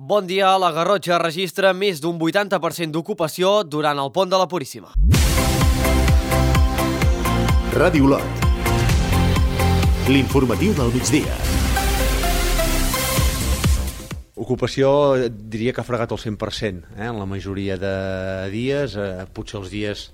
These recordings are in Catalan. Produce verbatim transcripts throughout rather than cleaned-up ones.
Bon dia, la Garrotxa registra més d'un vuitanta per cent d'ocupació durant el pont de la Puríssima. Ràdio Olot. L'informatiu del migdia. Ocupació diria que ha fregat el cent per cent, eh? En la majoria de dies, eh, potser els dies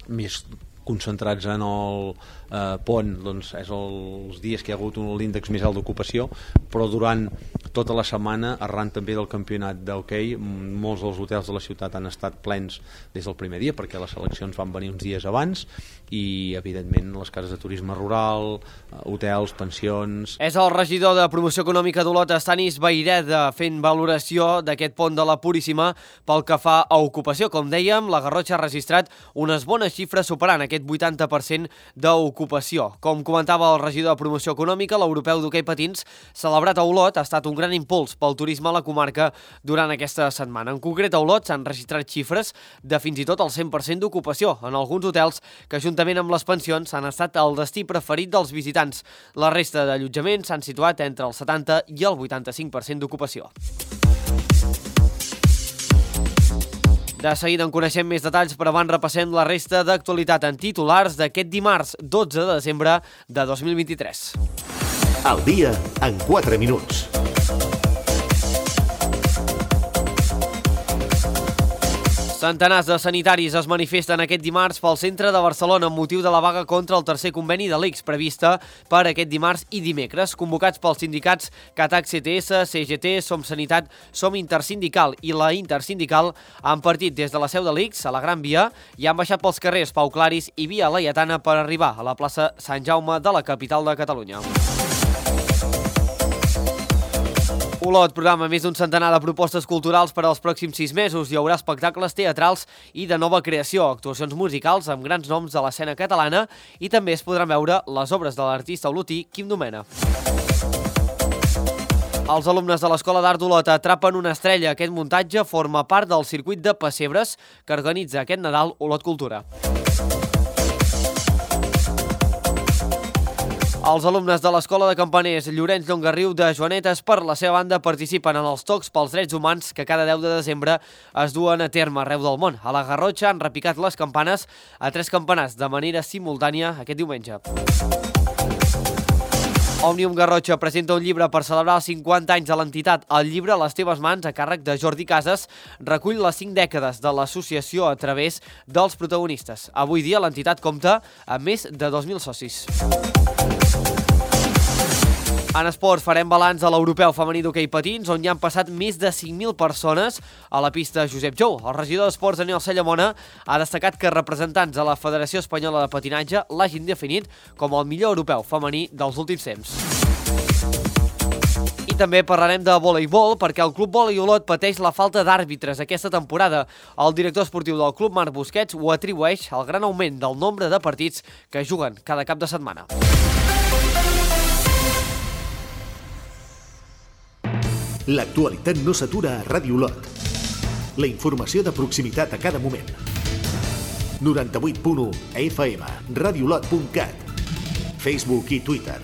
més concentrats en el eh, pont, doncs és els dies que hi ha hagut un l'índex més alt d'ocupació, però durant tota la setmana, arran també del campionat d'hoquei, molts dels hotels de la ciutat han estat plens des del primer dia, perquè les seleccions van venir uns dies abans, i evidentment les cases de turisme rural, hotels, pensions... És el regidor de Promoció Econòmica d'Olot, Estanis Vayreda, fent valoració d'aquest pont de la Puríssima pel que fa a ocupació. Com dèiem, la Garrotxa ha registrat unes bones xifres superant aquest vuitanta per cent d'ocupació. Com comentava el regidor de Promoció Econòmica, l'europeu d'hoquei patins, celebrat a Olot, ha estat un gran impuls pel turisme a la comarca durant aquesta setmana. En concret, a Olot s'han registrat xifres de fins i tot el cent per cent d'ocupació en alguns hotels que, juntament amb les pensions, han estat el destí preferit dels visitants. La resta d'allotjaments s'han situat entre el setanta i el vuitanta-cinc per cent d'ocupació. De seguida en coneixem més detalls, però abans repassem la resta d'actualitat en titulars d'aquest dimarts dotze de desembre de dos mil vint-i-tres. Al dia en quatre minuts. Centenars de sanitaris es manifesten aquest dimarts pel centre de Barcelona amb motiu de la vaga contra el tercer conveni de l'I C S prevista per aquest dimarts i dimecres, convocats pels sindicats CATAC C T S, C G T, Som Sanitat, Som Intersindical i la Intersindical han partit des de la seu de l'I C S a la Gran Via i han baixat pels carrers Pau Claris i Via Laietana per arribar a la plaça Sant Jaume de la capital de Catalunya. Olot programa més d'un centenar de propostes culturals per als pròxims sis mesos. Hi haurà espectacles teatrals i de nova creació, actuacions musicals amb grans noms de l'escena catalana i també es podran veure les obres de l'artista olotí Quim Domena. Els alumnes de l'Escola d'Art d'Olot atrapen una estrella. Aquest muntatge forma part del circuit de pessebres que organitza aquest Nadal Olot Cultura. Els alumnes de l'Escola de Campaners Llorenç Llongarriu de Joanetes, per la seva banda, participen en els Tocs pels Drets Humans que cada deu de desembre es duen a terme arreu del món. A la Garrotxa han repicat les campanes a tres campanars de manera simultània aquest diumenge. Òmnium Garrotxa presenta un llibre per celebrar els cinquanta anys de l'entitat. El llibre, a les teves mans, a càrrec de Jordi Casas, recull les cinc dècades de l'associació a través dels protagonistes. Avui dia l'entitat compta amb més de dos mil socis. En esport farem balanç a l'europeu femení d'hoquei patins, on hi han passat més de cinc mil persones a la pista Josep Jou. El regidor d'Esports, Daniel Sallamona, ha destacat que representants de la Federació Espanyola de Patinatge l'hagin definit com el millor europeu femení dels últims temps. I també parlarem de voleibol, perquè el Club Volei Olot pateix la falta d'àrbitres aquesta temporada. El director esportiu del club, Marc Busquets, ho atribueix al gran augment del nombre de partits que juguen cada cap de setmana. L'actualitat no s'atura a Ràdio Olot. La informació de proximitat a cada moment. noranta-vuit punt u F M, radiolot punt cat, Facebook i Twitter.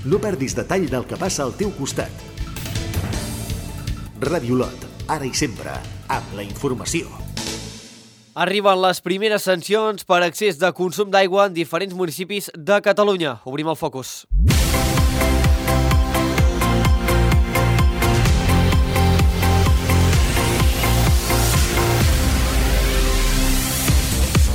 No perdis detall del que passa al teu costat. Ràdio Olot, ara i sempre, amb la informació. Arriben les primeres sancions per excés de consum d'aigua en diferents municipis de Catalunya. Obrim el focus.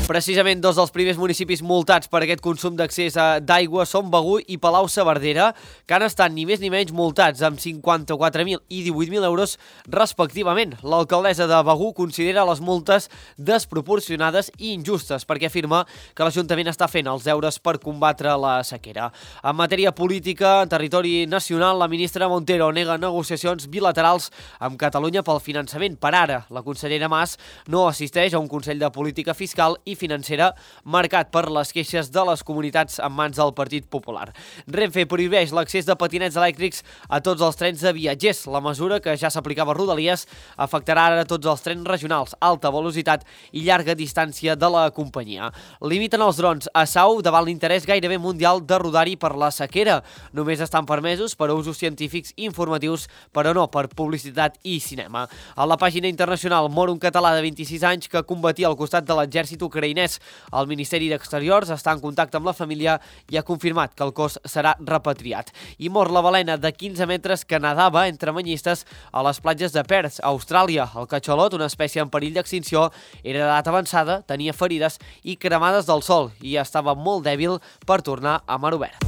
Precisament dos dels primers municipis multats per aquest consum d'accés d'aigua són Begur i Palau-saverdera, que han estat ni més ni menys multats amb cinquanta-quatre mil i divuit mil euros respectivament. L'alcaldessa de Begur considera les multes desproporcionades i injustes perquè afirma que l'Ajuntament està fent els deures per combatre la sequera. En matèria política, en territori nacional, la ministra Montero nega negociacions bilaterals amb Catalunya pel finançament. Per ara, la consellera Mas no assisteix a un Consell de Política Fiscal i financera marcat per les queixes de les comunitats en mans del Partit Popular. Renfe prohibeix l'accés de patinets elèctrics a tots els trens de viatgers. La mesura, que ja s'aplicava a Rodalies, afectarà ara tots els trens regionals, alta velocitat i llarga distància de la companyia. Limiten els drons a Sau davant l'interès gairebé mundial de rodar-hi per la sequera. Només estan permesos per a usos científics i informatius, però no per publicitat i cinema. A la pàgina internacional mor un català de vint-i-sis anys que combatia al costat de l'exèrcit ucraïnès. El Ministeri d'Exteriors està en contacte amb la família i ha confirmat que el cos serà repatriat. I mor la balena de quinze metres que nadava entre banyistes a les platges de Perth, a Austràlia. El catxalot, una espècie en perill d'extinció, era d'edat avançada, tenia ferides i cremades del sol i estava molt dèbil per tornar a mar obert.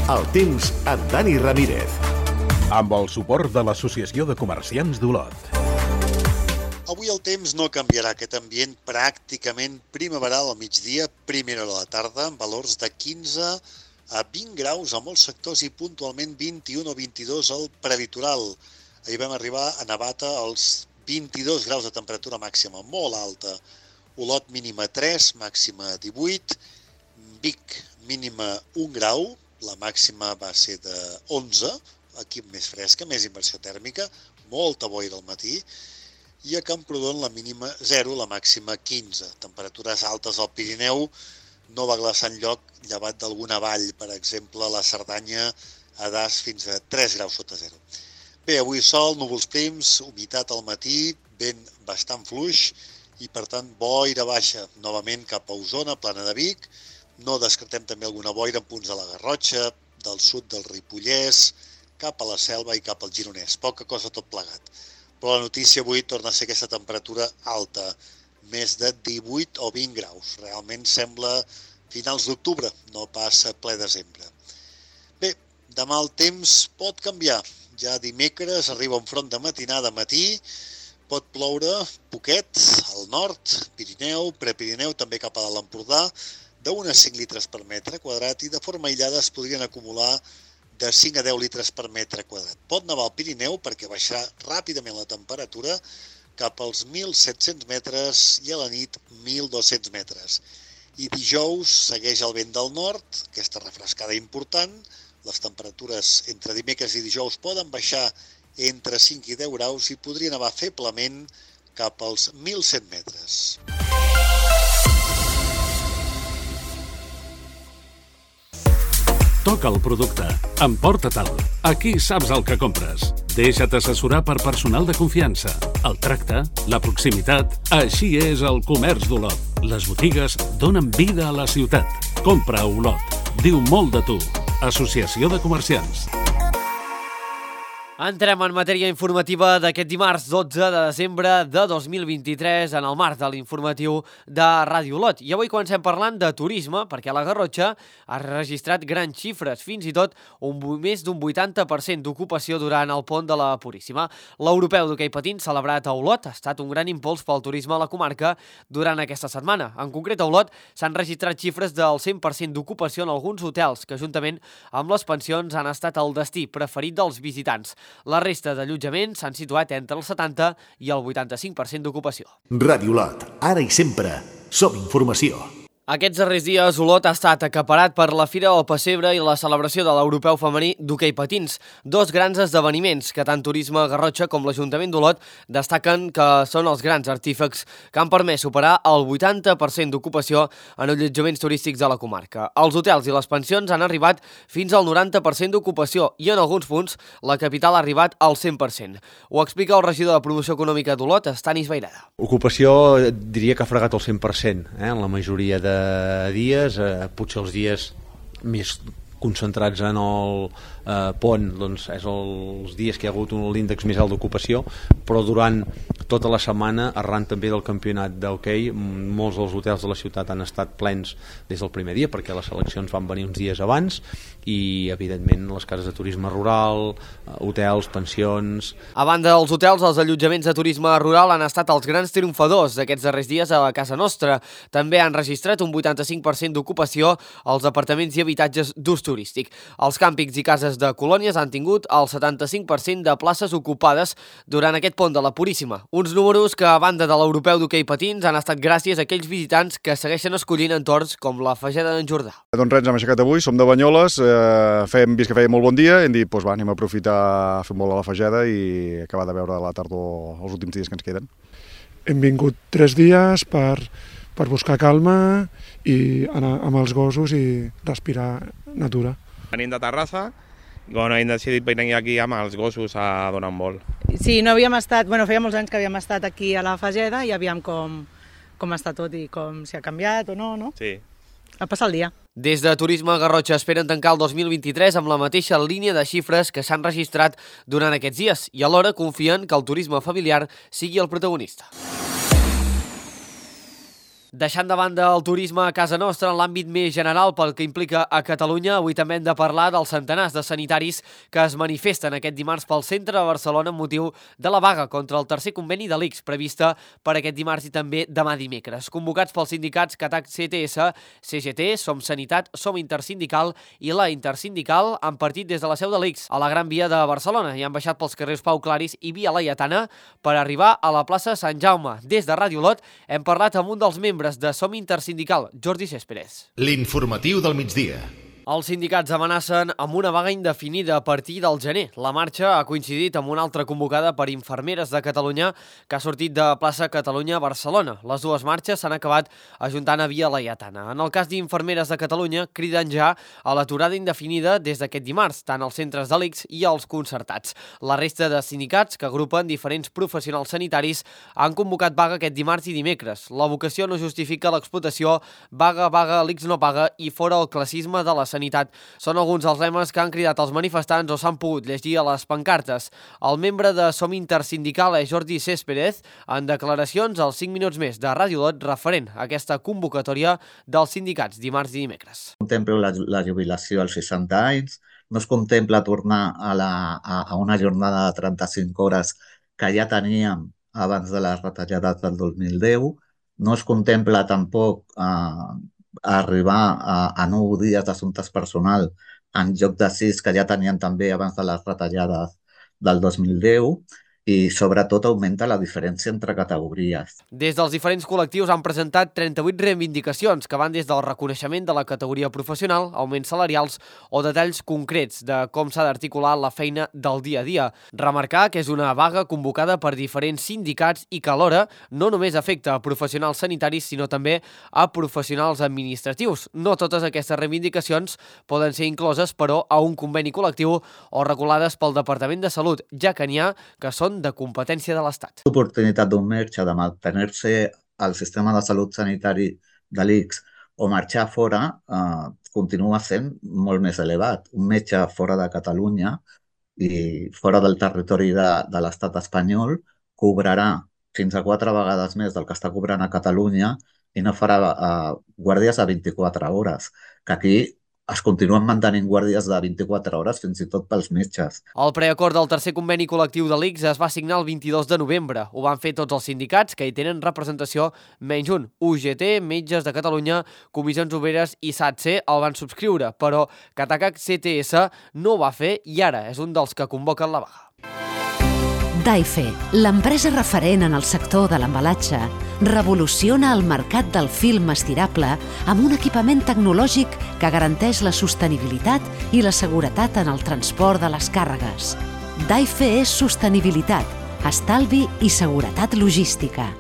El temps amb Dani Ramírez. Amb el suport de l'Associació de Comerciants d'Olot. Avui el temps no canviarà, aquest ambient pràcticament primaveral al migdia, primera hora de la tarda, amb valors de quinze a vint graus a molts sectors i puntualment vint-i-un o vint-i-dos al prelitoral. Ahir vam arribar a Navata als vint-i-dos graus de temperatura màxima, molt alta. Olot mínima tres, màxima divuit, Vic mínima un grau, la màxima va ser de onze, aquí més fresca, més inversió tèrmica, molta boira al matí, i a Camprodon la mínima zero, la màxima quinze. Temperatures altes al Pirineu, no va glaçar enlloc, llevat d'alguna vall, per exemple, la Cerdanya a Das fins a tres graus sota zero. Bé, avui sol, núvols prims, humitat al matí, vent bastant fluix i, per tant, boira baixa, novament cap a Osona, Plana de Vic. No descartem també alguna boira en punts de la Garrotxa, del sud del Ripollès, cap a la Selva i cap al Gironès. Poca cosa tot plegat. Però la notícia avui torna a ser aquesta temperatura alta, més de divuit o vint graus. Realment sembla finals d'octubre, no passa ple desembre. Bé, demà el temps pot canviar. Ja dimecres arriba un front de matinada a matí, pot ploure poquet al nord, Pirineu, Prepirineu, també cap a l'Empordà, d'unes cinc litres per metre quadrat i de forma aïllada es podrien acumular de cinc a deu litres per metre quadrat. Pot nevar al Pirineu perquè baixarà ràpidament la temperatura cap als mil set-cents metres i a la nit mil dos-cents metres. I dijous segueix el vent del nord, aquesta refrescada important. Les temperatures entre dimecres i dijous poden baixar entre cinc i deu graus i podrien nevar feblement cap als mil cent metres. Toca el producte. Emporta-te'l. Aquí saps el que compres. Deixa't assessorar per personal de confiança. El tracte, la proximitat... Així és el comerç d'Olot. Les botigues donen vida a la ciutat. Compra a Olot. Diu molt de tu. Associació de Comerciants. Entrem en matèria informativa d'aquest dimarts dotze de desembre de dos mil vint-i-tres en el marc de l'informatiu de Ràdio Olot. I avui comencem parlant de turisme, perquè la Garrotxa ha registrat grans xifres, fins i tot un, més d'un vuitanta per cent d'ocupació durant el pont de la Puríssima. L'Europeu d'hoquei patins celebrat a Olot ha estat un gran impuls pel turisme a la comarca durant aquesta setmana. En concret, a Olot s'han registrat xifres del cent per cent d'ocupació en alguns hotels que, juntament amb les pensions, han estat el destí preferit dels visitants. La resta d'allotjaments s'han situat entre el setanta i el vuitanta-cinc per cent d'ocupació. Ràdio Olot, ara i sempre, som informació. Aquests darrers dies, Olot ha estat acaparat per la Fira del Pessebre i la celebració de l'Europeu femení d'hoquei patins, dos grans esdeveniments que tant Turisme Garrotxa com l'Ajuntament d'Olot destaquen que són els grans artífecs que han permès superar el vuitanta per cent d'ocupació en allotjaments turístics de la comarca. Els hotels i les pensions han arribat fins al noranta per cent d'ocupació i en alguns punts la capital ha arribat al cent per cent. Ho explica el regidor de Promoció Econòmica d'Olot, Stanis Vairada. Ocupació diria que ha fregat el cent per cent, eh, en la majoria de dies, eh, potser els dies més concentrats en el eh, pont, doncs és els dies que hi ha hagut un índex més alt d'ocupació, però durant tota la setmana, arran també del campionat d'hoquei, molts dels hotels de la ciutat han estat plens des del primer dia, perquè les seleccions van venir uns dies abans, i evidentment les cases de turisme rural, hotels, pensions... A banda dels hotels, els allotjaments de turisme rural han estat els grans triomfadors d'aquests darrers dies a casa nostra. També han registrat un vuitanta-cinc per cent d'ocupació als apartaments i habitatges d'ús turístic. Els càmpings i cases de colònies han tingut el setanta-cinc per cent de places ocupades durant aquest pont de la Puríssima. Uns números que, a banda de l'europeu d'hoquei patins, han estat gràcies a aquells visitants que segueixen escollint entorns com la Fageda d'en Jordà. Doncs res, ens hem aixecat avui, som de Banyoles, eh, hem vist que feia molt bon dia i hem dit, doncs va, anem a aprofitar a fer molt a la Fageda i acabar de veure la tardor els últims dies que ens queden. Hem vingut tres dies per, per buscar calma i anar amb els gossos i respirar natura. Venim de Terrassa i bueno, hem decidit venir aquí amb els gossos a donar un vol. Sí, no havíem estat, bueno, feia molts anys que havíem estat aquí a la Fageda i aviam com, com està tot i com si ha canviat o no, no? Sí. A passar el dia. Des de Turisme Garrotxa esperen tancar el dos mil vint-i-tres amb la mateixa línia de xifres que s'han registrat durant aquests dies i alhora confien que el turisme familiar sigui el protagonista. Deixant de banda el turisme a casa nostra en l'àmbit més general pel que implica a Catalunya, avui també hem de parlar dels centenars de sanitaris que es manifesten aquest dimarts pel centre de Barcelona amb motiu de la vaga contra el tercer conveni de l'I C S prevista per aquest dimarts i també demà dimecres. Convocats pels sindicats CATAC C T S, C G T, Som Sanitat, Som Intersindical i la Intersindical han partit des de la seu de l'I C S a la Gran Via de Barcelona i han baixat pels carrers Pau Claris i Via Laietana per arribar a la plaça Sant Jaume. Des de Ràdio Lot hem parlat amb un dels membres de Som Intersindical, Jordi Céspedes. L'informatiu del migdia. Els sindicats amenacen amb una vaga indefinida a partir del gener. La marxa ha coincidit amb una altra convocada per Infermeres de Catalunya que ha sortit de plaça Catalunya a Barcelona. Les dues marxes s'han acabat ajuntant a Via Laietana. En el cas d'Infermeres de Catalunya, criden ja a l'aturada indefinida des d'aquest dimarts, tant als centres de l'I C S i als concertats. La resta de sindicats, que agrupen diferents professionals sanitaris, han convocat vaga aquest dimarts i dimecres. La vocació no justifica l'explotació, vaga, vaga, l'I C S no paga i fora el classisme de la sanitat. Són alguns dels lemes que han cridat els manifestants o s'han pogut llegir a les pancartes. El membre de Som Intersindical és Jordi Céspedes, en declaracions als cinc minuts més de Ràdio Lot referent a aquesta convocatòria dels sindicats dimarts i dimecres. Contempla la, la jubilació als seixanta anys, no es contempla tornar a, la, a, a una jornada de trenta-cinc hores que ja teníem abans de les retallades del dos mil deu, no es contempla tampoc eh, a arribar a, a nou dies d'assumptes personal en lloc de sis que ja tenien també abans de les retallades del dos mil deu i sobretot augmenta la diferència entre categories. Des dels diferents col·lectius han presentat trenta-vuit reivindicacions que van des del reconeixement de la categoria professional, augments salarials o detalls concrets de com s'ha d'articular la feina del dia a dia. Remarcar que és una vaga convocada per diferents sindicats i que alhora no només afecta a professionals sanitaris sinó també a professionals administratius. No totes aquestes reivindicacions poden ser incloses, però, a un conveni col·lectiu o regulades pel Departament de Salut, ja que n'hi ha que són de competència de l'Estat. L'oportunitat d'un metge de mantenir-se al sistema de salut sanitari de l'I C S o marxar fora eh, continua sent molt més elevat. Un metge fora de Catalunya i fora del territori de, de l'Estat espanyol cobrarà fins a quatre vegades més del que està cobrant a Catalunya i no farà eh, guàrdies a vint-i-quatre hores, que aquí es continuen mantenint guàrdies de vint-i-quatre hores fins i tot pels metges. El preacord del tercer conveni col·lectiu de l'I C S es va signar el vint-i-dos de novembre. Ho van fer tots els sindicats que hi tenen representació menys un. U G T, Metges de Catalunya, Comissions Obreres i S A T S E el van subscriure, però CATAC C T S no ho va fer i ara és un dels que convoquen la vaga. Daife, l'empresa referent en el sector de l'embalatge, revoluciona el mercat del film estirable amb un equipament tecnològic que garanteix la sostenibilitat i la seguretat en el transport de les càrregues. Daife és sostenibilitat, estalvi i seguretat logística.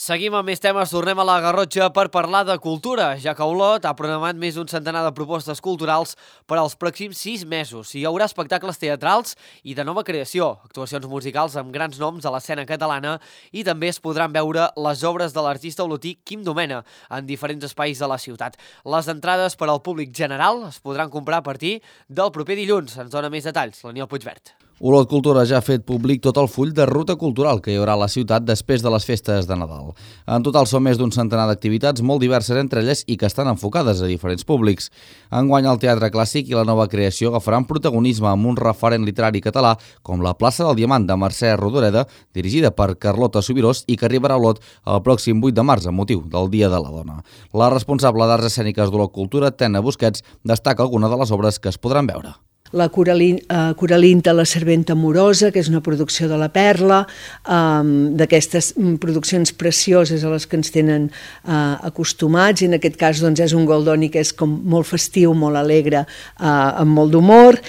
Seguim amb més temes, tornem a la Garrotxa per parlar de cultura, ja que Olot ha programat més d'un centenar de propostes culturals per als pròxims sis mesos. Hi haurà espectacles teatrals i de nova creació, actuacions musicals amb grans noms de l'escena catalana i també es podran veure les obres de l'artista olotí Quim Domena en diferents espais de la ciutat. Les entrades per al públic general es podran comprar a partir del proper dilluns. Ens dona més detalls l'Aniol Puigvert. Olot Cultura ja ha fet públic tot el full de ruta cultural que hi haurà a la ciutat després de les festes de Nadal. En total són més d'un centenar d'activitats molt diverses entre elles i que estan enfocades a diferents públics. Enguany el teatre clàssic i la nova creació agafaran protagonisme amb un referent literari català com la plaça del Diamant de Mercè Rodoreda, dirigida per Carlota Subirós i que arribarà a Olot el pròxim vuit de març amb motiu del Dia de la Dona. La responsable d'Arts Escèniques d'Olot Cultura, Tena Busquets, destaca alguna de les obres que es podran veure. La Coralinta, la serventa amorosa, que és una producció de la Perla, d'aquestes produccions precioses a les que ens tenen acostumats, i en aquest cas és un Goldoni que és com molt festiu, molt alegre, amb molt d'humor,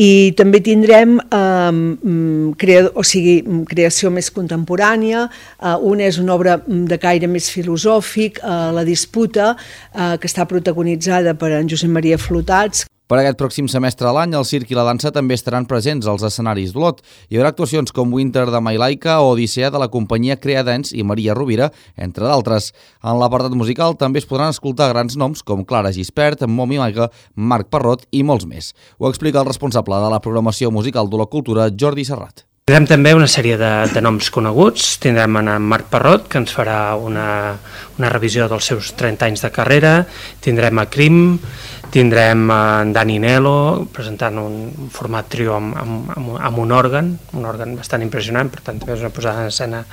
i també tindrem creació més contemporània. Una és una obra de caire més filosòfic, La disputa, que està protagonitzada per en Josep Maria Flotats. Per aquest pròxim semestre de l'any, el circ i la dansa també estaran presents als escenaris d'Olot. Hi haurà actuacions com Winter de Mailaika o Odissea de la companyia Creadens i Maria Rovira, entre d'altres. En l'apartat musical també es podran escoltar grans noms com Clara Gispert, Momi Maiga, Marc Parrot i molts més. Ho explica el responsable de la programació musical d'Olot Cultura, Jordi Serrat. Tindrem també una sèrie de, de noms coneguts. Tindrem en Marc Parrot, que ens farà una, una revisió dels seus trenta anys de carrera. Tindrem a Crim, tindrem en Dani Nelo, presentant un format trio amb, amb, amb un òrgan, un òrgan bastant impressionant, per tant també és una posada en escena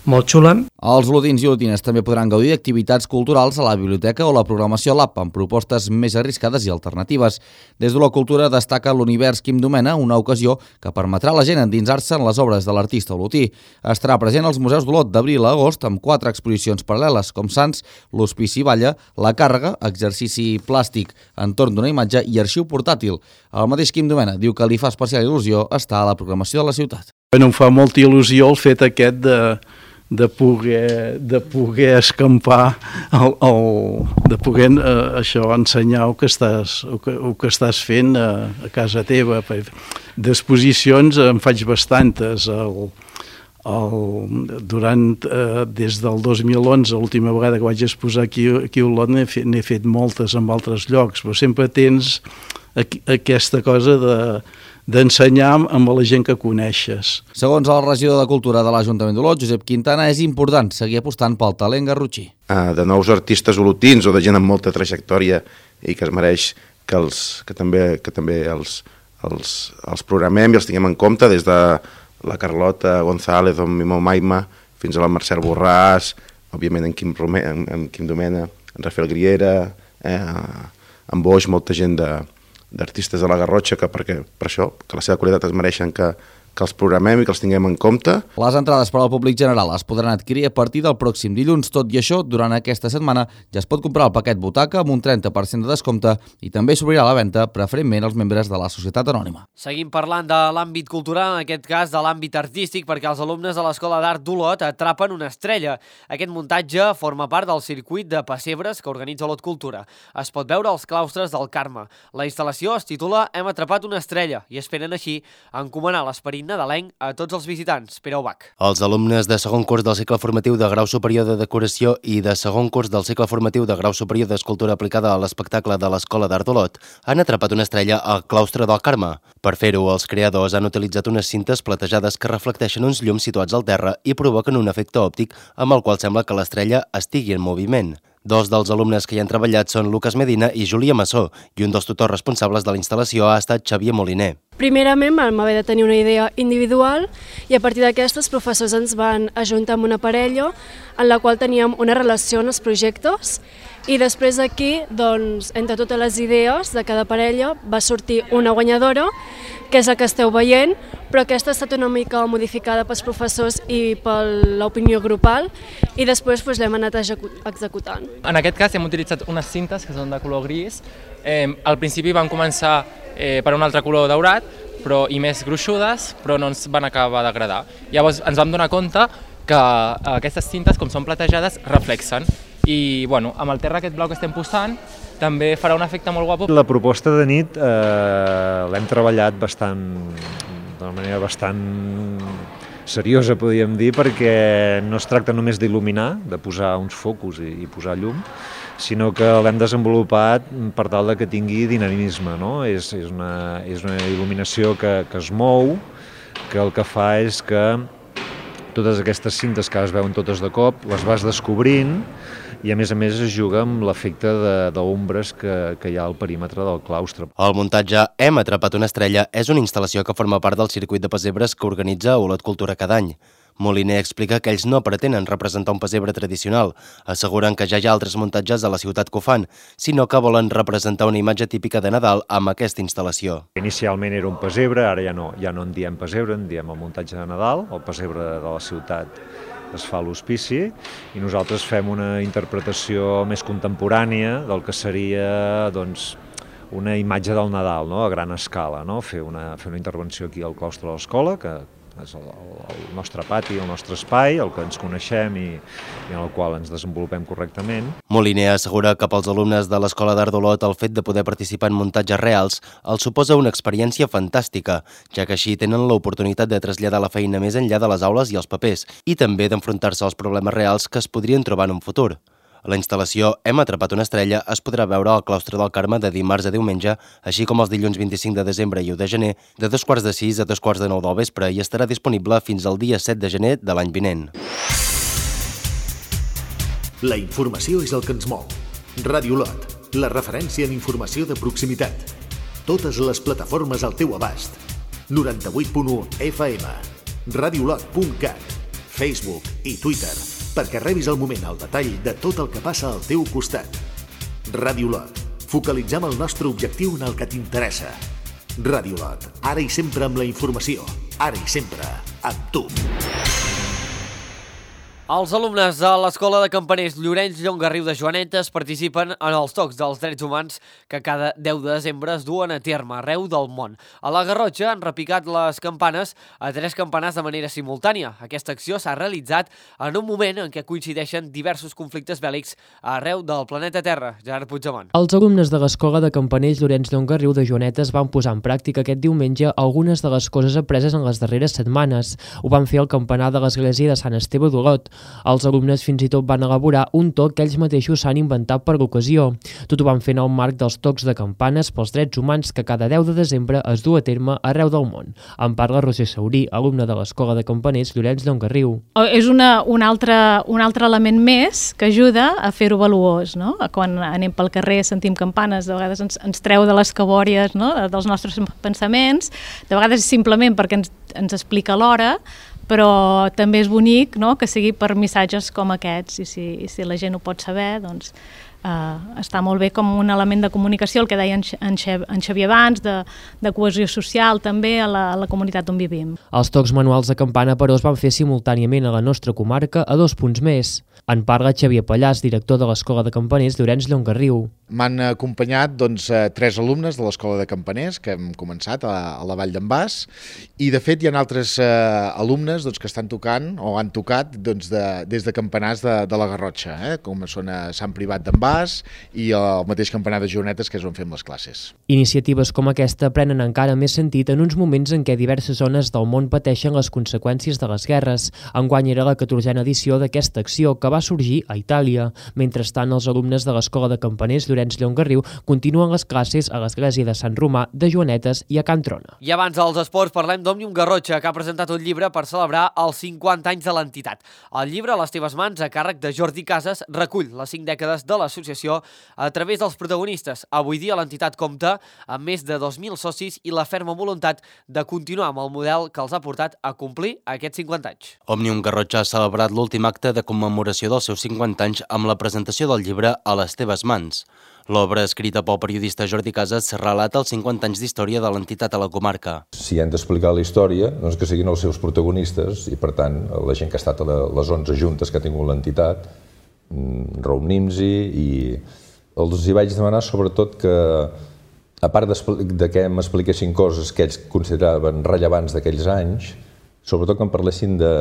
molt xula. Els olotins i olotines també podran gaudir d'activitats culturals a la biblioteca o la programació Lab, amb propostes més arriscades i alternatives. Des de la cultura destaca l'Univers Quim Domena, una ocasió que permetrà a la gent endinsar-se en les obres de l'artista olotí. Estarà present als museus d'Olot d'abril a agost amb quatre exposicions paral·leles com Sants, l'Hospici Balla, La Càrrega, exercici plàstic entorn d'una imatge i arxiu portàtil. El mateix Quim Domena diu que li fa especial il·lusió estar a la programació de la ciutat. Bueno, em fa molta il·lusió el fet aquest de, de, poder, de poder escampar, el, el, de poder eh, això ensenyar el que estàs, el que, el que estàs fent a, a casa teva. D'exposicions en faig bastantes. El, el, durant, eh, des del dos mil onze, l'última vegada que vaig exposar aquí, aquí a Olot, n'he fet, fet moltes en altres llocs, però sempre tens aquí, aquesta cosa de d'ensenyar amb la gent que coneixes. Segons el regidor de Cultura de l'Ajuntament d'Olot, Josep Quintana, és important seguir apostant pel talent garrotxí. De nous artistes olotins o de gent amb molta trajectòria i que es mereix que, els, que també, que també els, els, els programem i els tinguem en compte, des de la Carlota González o Mimo Maima fins a la Marcel Borràs, òbviament en Quim, Rome, en, en Quim Domena, en Rafael Griera, eh, en Boix, molta gent de d'artistes de la Garrotxa, que perquè, per això, que la seva qualitat es mereixen que, que els programem i que els tinguem en compte. Les entrades per al públic general es podran adquirir a partir del pròxim dilluns. Tot i això, durant aquesta setmana ja es pot comprar el paquet butaca amb un trenta per cent de descompte i també s'obrirà la venda preferentment als membres de la Societat Anònima. Seguim parlant de l'àmbit cultural, en aquest cas de l'àmbit artístic, perquè els alumnes de l'Escola d'Art d'Olot atrapen una estrella. Aquest muntatge forma part del circuit de pessebres que organitza Olot Cultura. Es pot veure als claustres del Carme. La instal·lació es titula Hem atrapat una estrella i esperen així encomanar l'esperit nadalenc a tots els visitants. Pere Ubach. Els alumnes de segon curs del cicle formatiu de grau superior de decoració i de segon curs del cicle formatiu de grau superior d'escultura aplicada a l'espectacle de l'Escola d'Art d'Olot han atrapat una estrella al claustre del Carme. Per fer-ho, els creadors han utilitzat unes cintes platejades que reflecteixen uns llums situats al terra i provoquen un efecte òptic amb el qual sembla que l'estrella estigui en moviment. Dos dels alumnes que hi han treballat són Lucas Medina i Júlia Massó, i un dels tutors responsables de la instal·lació ha estat Xavier Moliner. Primerament vam haver de tenir una idea individual i a partir d'aquesta els professors ens van ajuntar amb una parella en la qual teníem una relació en els projectes i després d'aquí, doncs, entre totes les idees de cada parella va sortir una guanyadora, que és la que esteu veient, però aquesta ha estat una mica modificada pels professors i per l'opinió grupal i després doncs, l'hem anat executant. En aquest cas hem utilitzat unes cintes que són de color gris. Eh, al principi van començar eh, per un altre color daurat però, i més gruixudes, però no ens van acabar d'agradar. Llavors ens vam donar compte que aquestes cintes, com són platejades, reflexen. I bueno, amb el terra aquest blau que estem posant també farà un efecte molt guapo. La proposta de nit eh, l'hem treballat bastant, d'una manera bastant seriosa, podríem dir, perquè no es tracta només d'il·luminar, de posar uns focus i, i posar llum, sinó que l'hem desenvolupat per tal de que tingui dinamisme, no? És, és, una, és una il·luminació que, que es mou, que el que fa és que totes aquestes cintes que es veuen totes de cop, les vas descobrint i a més a més es juga amb l'efecte d'ombres que, que hi ha al perímetre del claustre. El muntatge Hem atrapat una estrella és una instal·lació que forma part del circuit de pessebres que organitza Olot Cultura cada any. Moliner explica que ells no pretenen representar un pessebre tradicional. Asseguren que ja hi ha altres muntatges a la ciutat que ho fan, sinó que volen representar una imatge típica de Nadal amb aquesta instal·lació. Inicialment era un pessebre, ara ja no, ja no en diem pessebre, en diem el muntatge de Nadal, el pessebre de la ciutat es fa a l'hospici i nosaltres fem una interpretació més contemporània del que seria doncs, una imatge del Nadal, no? A gran escala, no? Fer una, fer una intervenció aquí al claustre de l'escola, que és el, el nostre pati, el nostre espai, el que ens coneixem i, i en el qual ens desenvolupem correctament. Moliner assegura que pels alumnes de l'Escola d'Art d'Olot el fet de poder participar en muntatges reals els suposa una experiència fantàstica, ja que així tenen l'oportunitat de traslladar la feina més enllà de les aules i els papers i també d'enfrontar-se als problemes reals que es podrien trobar en un futur. La instal·lació Hem atrapat una estrella es podrà veure al claustre del Carme de dimarts a diumenge, així com els dilluns vint-i-cinc de desembre i u de gener, de dos quarts de sis a dos quarts de nou del vespre i estarà disponible fins al dia set de gener de l'any vinent. La informació és el que ens mou. Ràdio Olot, la referència en informació de proximitat. Totes les plataformes al teu abast. noranta-vuit punt u F M, radiolot punt cat, Facebook i Twitter, perquè rebis al moment el detall de tot el que passa al teu costat. Ràdio Olot. Focalitzem el nostre objectiu en el que t'interessa. Ràdio Olot. Ara i sempre amb la informació. Ara i sempre amb tu. Els alumnes de l'Escola de Campaners Llorenç Llongarriu de Joanetes participen en els Tocs dels Drets Humans que cada deu de desembre es duen a terme arreu del món. A la Garrotxa han repicat les campanes a tres campanars de manera simultània. Aquesta acció s'ha realitzat en un moment en què coincideixen diversos conflictes bèl·lics arreu del planeta Terra. Gerard Puigdemont. Els alumnes de l'Escola de Campaners Llorenç Llongarriu de Joanetes van posar en pràctica aquest diumenge algunes de les coses apreses en les darreres setmanes. Ho van fer al campanar de l'església de Sant Esteve d'Olot. Els alumnes fins i tot van elaborar un toc que ells mateixos s'han inventat per l'ocasió. Tot ho van fer en el marc dels tocs de campanes pels drets humans que cada deu de desembre es du a terme arreu del món. En parla Roser Saurí, alumna de l'Escola de Campaners Llorenç Llongarriu. És una, un, altre, un altre element més que ajuda a fer-ho valuós, no? Quan anem pel carrer sentim campanes, de vegades ens, ens treu de les cabòries, no? Dels nostres pensaments, de vegades simplement perquè ens, ens explica l'hora, però també és bonic, no?, que sigui per missatges com aquests, i si, i si la gent ho pot saber, doncs eh, està molt bé com un element de comunicació, el que deia en, en, en Xavier abans, de, de cohesió social també a la, a la comunitat on vivim. Els tocs manuals de campana, però, es van fer simultàniament a la nostra comarca a dos punts més. En parla Xavier Pallàs, director de l'Escola de Campaners Llorenç Llongarriu. M'han acompanyat doncs, tres alumnes de l'Escola de Campaners que hem començat a, a la Vall d'en Bas, i de fet hi ha altres eh, alumnes doncs, que estan tocant o han tocat doncs, de, des de campanars de, de la Garrotxa, eh, com són a Sant Privat d'en Bas i el mateix campanar de Joanetes, que és on fem les classes. Iniciatives com aquesta prenen encara més sentit en uns moments en què diverses zones del món pateixen les conseqüències de les guerres. Enguany era la catorzena edició d'aquesta acció, que va sorgir a Itàlia. Mentrestant, els alumnes de l'Escola de Campaners Llorenç Llongarriu continuen les classes a l'església de Sant Romà de Joanetes i a Can Trona. I abans dels esports parlem d'Òmnium Garrotxa, que ha presentat un llibre per celebrar els cinquanta anys de l'entitat. El llibre, a les teves mans, a càrrec de Jordi Casas, recull les cinc dècades de l'associació a través dels protagonistes. Avui dia l'entitat compta amb més de dos mil socis i la ferma voluntat de continuar amb el model que els ha portat a complir aquests cinquanta anys. Òmnium Garrotxa ha celebrat l'últim acte de commemoració dels seus cinquanta anys amb la presentació del llibre A les teves mans. L'obra, escrita pel periodista Jordi Casas, relata els cinquanta anys d'història de l'entitat a la comarca. Si han d'explicar la història, doncs que siguin els seus protagonistes i, per tant, la gent que ha estat a les onze juntes que ha tingut l'entitat, reunim-s'hi, i els hi vaig demanar sobretot que, a part de que m'expliquessin coses que ells consideraven rellevants d'aquells anys, sobretot que em parlessin de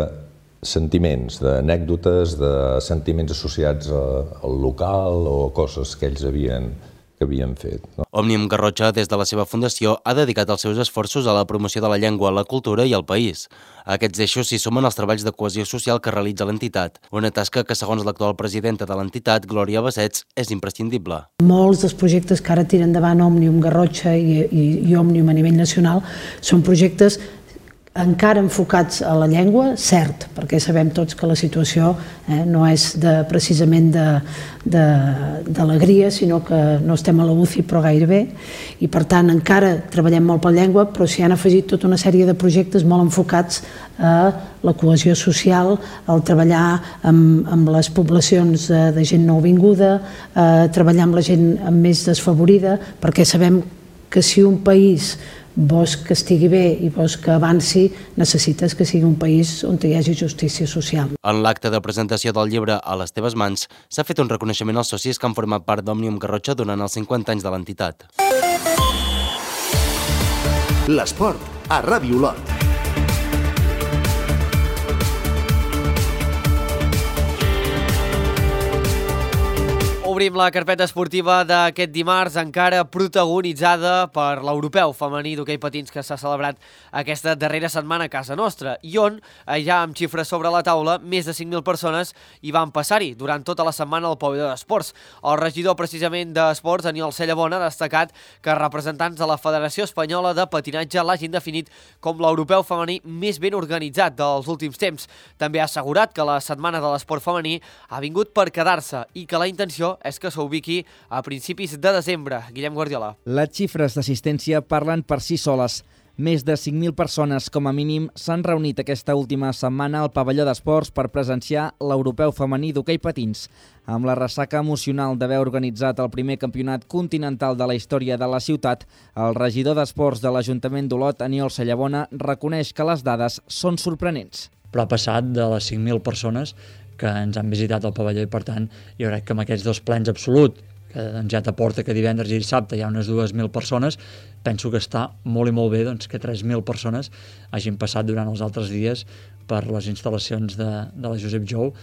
sentiments, d'anècdotes, de sentiments associats al local o coses que ells havien, que havien fet. No? Òmnium Garrotxa, des de la seva fundació, ha dedicat els seus esforços a la promoció de la llengua, la cultura i el país. A aquests eixos s'hi sumen els treballs de cohesió social que realitza l'entitat, una tasca que, segons l'actual presidenta de l'entitat, Glòria Bassets, és imprescindible. Molts dels projectes que ara tiren endavant Òmnium Garrotxa i, i, i Òmnium a nivell nacional són projectes encara enfocats a la llengua, cert, perquè sabem tots que la situació eh, no és de, precisament d'alegria, sinó que no estem a la U C I però gairebé, i per tant encara treballem molt per la llengua, però s'hi han afegit tota una sèrie de projectes molt enfocats a la cohesió social, al treballar amb, amb les poblacions de, de gent nouvinguda, a treballar amb la gent més desfavorida, perquè sabem que si un país vols que estigui bé i vols que avanci, necessites que sigui un país on hi hagi justícia social. En l'acte de presentació del llibre A les teves mans s'ha fet un reconeixement als socis que han format part d'Òmnium Garrotxa durant els cinquanta anys de l'entitat. L'esport a Ràdio Olot. Obrim la carpeta esportiva d'aquest dimarts, encara protagonitzada per l'europeu femení d'hoquei patins que s'ha celebrat aquesta darrera setmana a casa nostra i on, ja amb xifres sobre la taula, més de cinc mil persones hi van passar-hi durant tota la setmana al pavelló d'esports. El regidor precisament d'esports, Aniol Cellabona, ha destacat que representants de la Federació Espanyola de Patinatge l'hagin definit com l'europeu femení més ben organitzat dels últims temps. També ha assegurat que la setmana de l'esport femení ha vingut per quedar-se i que la intenció és que s'ubiqui a principis de desembre. Guillem Guardiola. Les xifres d'assistència parlen per si soles. Més de cinc mil persones, com a mínim, s'han reunit aquesta última setmana al pavelló d'esports per presenciar l'europeu femení d'hoquei patins. Amb la ressaca emocional d'haver organitzat el primer campionat continental de la història de la ciutat, el regidor d'esports de l'Ajuntament d'Olot, Aniol Cellabona, reconeix que les dades són sorprenents. Però ha passat de les cinc mil persones que ens han visitat al pavelló i, per tant, jo crec que amb aquests dos plens absolut, que doncs, ja t'aporta que divendres i dissabte hi ha unes dues mil persones, penso que està molt i molt bé doncs, que tres mil persones hagin passat durant els altres dies per les instal·lacions de, de la Josep Jou.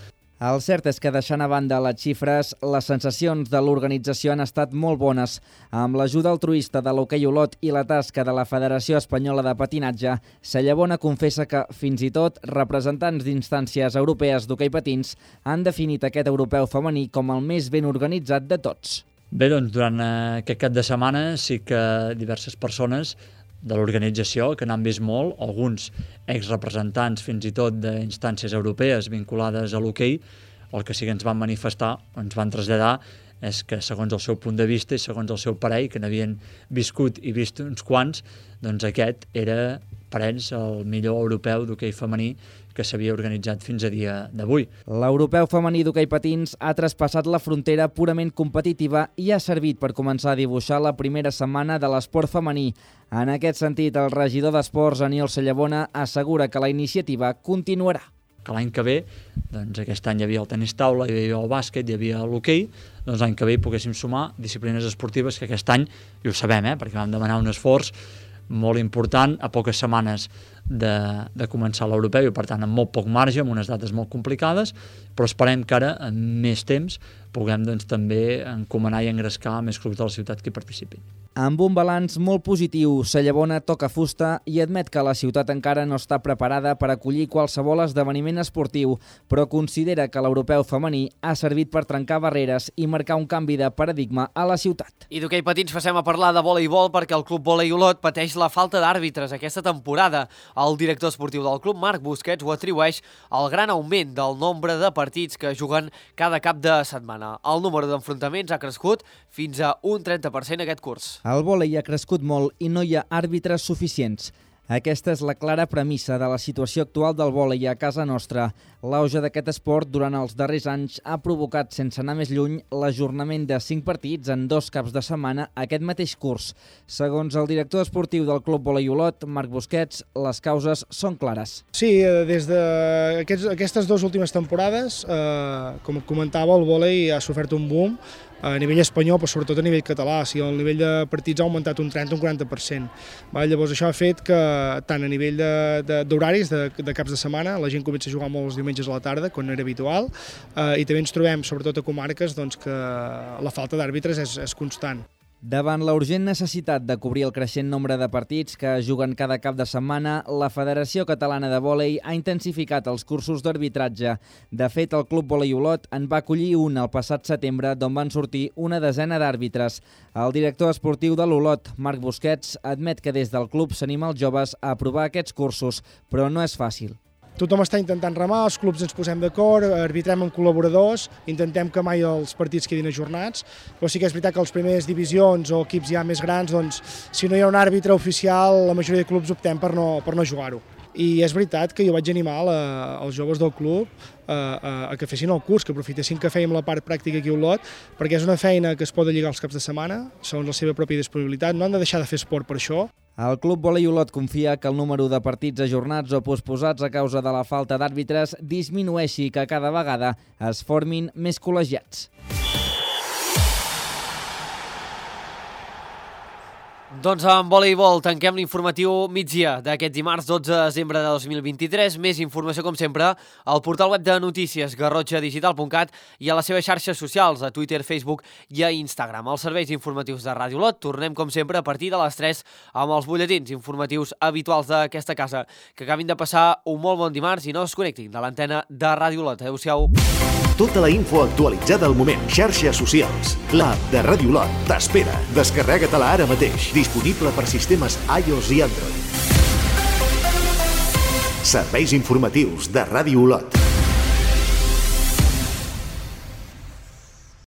El cert és que, deixant a banda les xifres, les sensacions de l'organització han estat molt bones. Amb l'ajuda altruista de l'Hoquei Olot i la tasca de la Federació Espanyola de Patinatge, Cellabona confessa que, fins i tot, representants d'instàncies europees d'hoquei patins han definit aquest europeu femení com el més ben organitzat de tots. Bé, doncs, durant aquest cap de setmana sí que diverses persones de l'organització, que n'han vist molt, alguns exrepresentants fins i tot d'instàncies europees vinculades a l'hoquei, el que sí que ens van manifestar, ens van traslladar, és que segons el seu punt de vista i segons el seu parell, que n'havien viscut i vist uns quants, doncs aquest era per ells el millor europeu d'hoquei femení que s'havia organitzat fins a dia d'avui. L'europeu femení d'hoquei patins ha traspassat la frontera purament competitiva i ha servit per començar a dibuixar la primera setmana de l'esport femení. En aquest sentit, el regidor d'esports, Aniol Cellabona, assegura que la iniciativa continuarà. Que l'any que ve, doncs aquest any hi havia el tenis taula, hi havia el bàsquet, hi havia l'hoquei, doncs l'any que ve hi poguéssim sumar disciplines esportives que aquest any, i ho sabem, eh, perquè vam demanar un esforç molt important a poques setmanes de, de començar l'europeu i per tant amb molt poc marge, amb unes dates molt complicades, però esperem que ara en més temps puguem doncs, també encomanar i engrescar més clubs de la ciutat que hi participin. Amb un balanç molt positiu, Cellabona toca fusta i admet que la ciutat encara no està preparada per acollir qualsevol esdeveniment esportiu, però considera que l'europeu femení ha servit per trencar barreres i marcar un canvi de paradigma a la ciutat. I d'hoquei patins passem a parlar de voleibol perquè el Club Volei Olot pateix la falta d'àrbitres aquesta temporada. El director esportiu del club, Marc Busquets, ho atribueix al gran augment del nombre de partits que juguen cada cap de setmana. El número d'enfrontaments ha crescut fins a un trenta per cent aquest curs. El vòlei ha crescut molt i no hi ha àrbitres suficients. Aquesta és la clara premissa de la situació actual del vòlei a casa nostra. L'auge d'aquest esport durant els darrers anys ha provocat, sense anar més lluny, l'ajornament de cinc partits en dos caps de setmana aquest mateix curs. Segons el director esportiu del Club Volei Olot, Marc Busquets, les causes són clares. Sí, des d'aquestes dues últimes temporades, eh, com comentava, el vòlei ha sofert un boom a nivell espanyol, però sobretot a nivell català. O sigui, el nivell de partits ha augmentat un trenta a un quaranta per cent. Llavors això ha fet que tant a nivell d'horaris, de, de, de caps de setmana, la gent comença a jugar molt els diumenges a la tarda, quan no era habitual, eh, i també ens trobem, sobretot a comarques, doncs, que la falta d'àrbitres és, és constant. Davant la urgent necessitat de cobrir el creixent nombre de partits que juguen cada cap de setmana, la Federació Catalana de Vòlei ha intensificat els cursos d'arbitratge. De fet, el Club Vòlei Olot en va acollir un el passat setembre, d'on van sortir una desena d'àrbitres. El director esportiu de l'Olot, Marc Busquets, admet que des del club s'anima els joves a aprovar aquests cursos, però no és fàcil. Tothom està intentant remar, els clubs ens posem d'acord, arbitrem amb col·laboradors, intentem que mai els partits quedin ajornats, però sí que és veritat que les primeres divisions o equips ja més grans, doncs, si no hi ha un àrbitre oficial, la majoria de clubs optem per no, per no jugar-ho. I és veritat que jo vaig animar la, els joves del club a, a, a que fessin el curs, que aprofitessin que fèiem la part pràctica aquí a Olot, perquè és una feina que es pot lligar els caps de setmana, segons la seva pròpia disponibilitat, no han de deixar de fer esport per això. El Club Vòlei Olot confia que el número de partits ajornats o posposats a causa de la falta d'àrbitres disminueixi i que cada vegada es formin més col·legiats. Doncs amb voleibol tanquem l'informatiu migdia d'aquest dimarts dotze de desembre de dos mil vint-i-tres. Més informació, com sempre, al portal web de notícies garrotxa digital punt cat i a les seves xarxes socials, a Twitter, Facebook i a Instagram. Els serveis informatius de Ràdio Olot tornem, com sempre, a partir de les tres amb els butlletins informatius habituals d'aquesta casa. Que acabin de passar un molt bon dimarts i no es connectin de l'antena de Ràdio Olot. Adéu-siau. Tota la info actualitzada al moment. Xarxes socials. L'app de Ràdio Olot t'espera. Descarrega-te-la ara mateix. Disponible per sistemes iOS i Android. Serveis informatius de Ràdio Olot.